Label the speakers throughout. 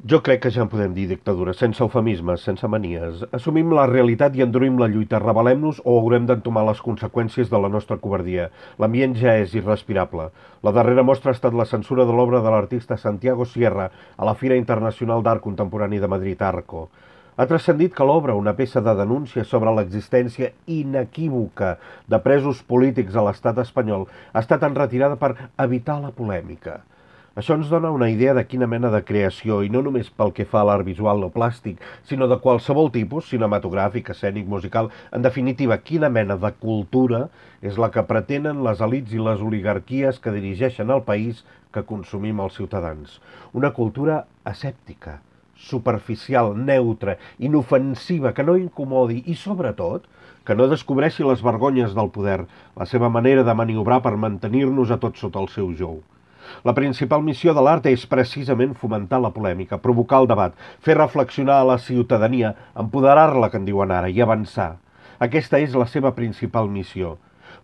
Speaker 1: Jo crec que ja en podem dir dictadura, sense eufemismes, sense manies. Assumim la realitat i endurim la lluita, rebel·lem-nos o haurem d'entomar les conseqüències de la nostra covardia. L'ambient ja és irrespirable. La darrera mostra ha estat la censura de l'obra de l'artista Santiago Sierra a la Fira Internacional d'Art Contemporani de Madrid, Arco. Ha transcendit que l'obra, una peça de denúncia sobre l'existència inequívoca de presos polítics a l'estat espanyol, ha estat enretirada per evitar la polèmica. Això ens dona una idea de quina mena de creació, i no només pel que fa a l'art visual o plàstic, sinó de qualsevol tipus, cinematogràfic, escènic, musical, en definitiva, quina mena de cultura és la que pretenen les elits i les oligarquies que dirigeixen el país que consumim els ciutadans. Una cultura asèptica, superficial, neutra, inofensiva, que no incomodi i, sobretot, que no descobreixi les vergonyes del poder, la seva manera de maniobrar per mantenir-nos a tots sota el seu jou. La principal missió de l'art és precisament fomentar la polèmica, provocar el debat, fer reflexionar a la ciutadania, empoderar-la, que en diuen ara, i avançar. Aquesta és la seva principal missió.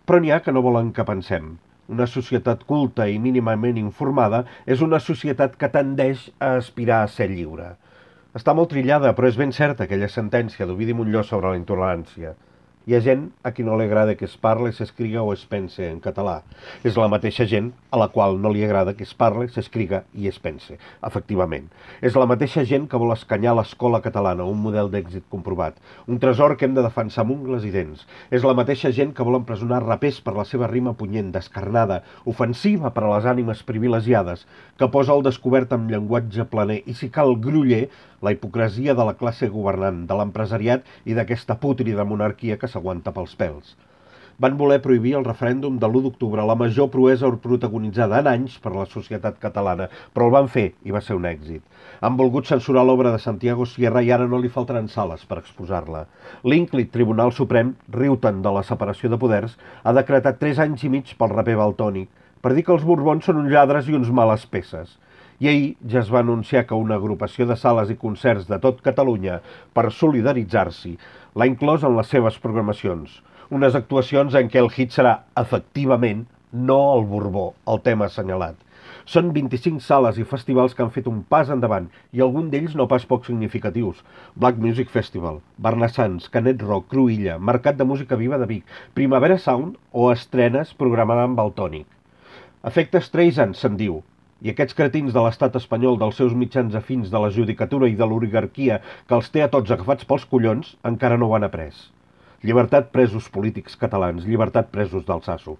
Speaker 1: Però n'hi ha que no volen que pensem. Una societat culta i mínimament informada és una societat que tendeix a aspirar a ser lliure. Està molt trillada, però és ben certa aquella sentència d'Ovidi Montllor sobre la intolerància. Hi ha gent a qui no li agrada que es parli, s'escriga o es pense en català. És la mateixa gent a la qual no li agrada que es parli, s'escriga i es pense, efectivament. És la mateixa gent que vol escanyar l'escola catalana, un model d'èxit comprovat, un tresor que hem de defensar amb ungles i dents. És la mateixa gent que vol empresonar rapers per la seva rima punyent, descarnada, ofensiva per a les ànimes privilegiades, que posa al descobert amb llenguatge planer i, si cal, groller, la hipocresia de la classe governant, de l'empresariat i d'aquesta pútrida monarquia que s'aguanta pels pèls. Van voler prohibir el referèndum de l'1 d'octubre, la major proesa protagonitzada en anys per la societat catalana, però el van fer i va ser un èxit. Han volgut censurar l'obra de Santiago Sierra i ara no li faltaran sales per exposar-la. L'ínclit Tribunal Suprem, riu-te'n de la separació de poders, ha decretat 3 anys i mig pel raper valtònic, per dir que els Borbons són uns lladres i uns males peces. I ahir ja es va anunciar que una agrupació de sales i concerts de tot Catalunya, per solidaritzar-s'hi, l'ha inclòs en les seves programacions. Unes actuacions en què el hit serà, efectivament, no el Borbó, el tema assenyalat. Són 25 sales i festivals que han fet un pas endavant, i algun d'ells no pas poc significatius. Black Music Festival, Barnassans, Canet Rock, Cruïlla, Mercat de Música Viva de Vic, Primavera Sound o estrenes programada amb Valtònic. Efectes Streisand, se'n diu. I aquests cretins de l'estat espanyol, dels seus mitjans afins, de la judicatura i de l'oligarquia, que els té a tots agafats pels collons, encara no ho han après. Llibertat presos polítics catalans, llibertat presos d'Altsasu.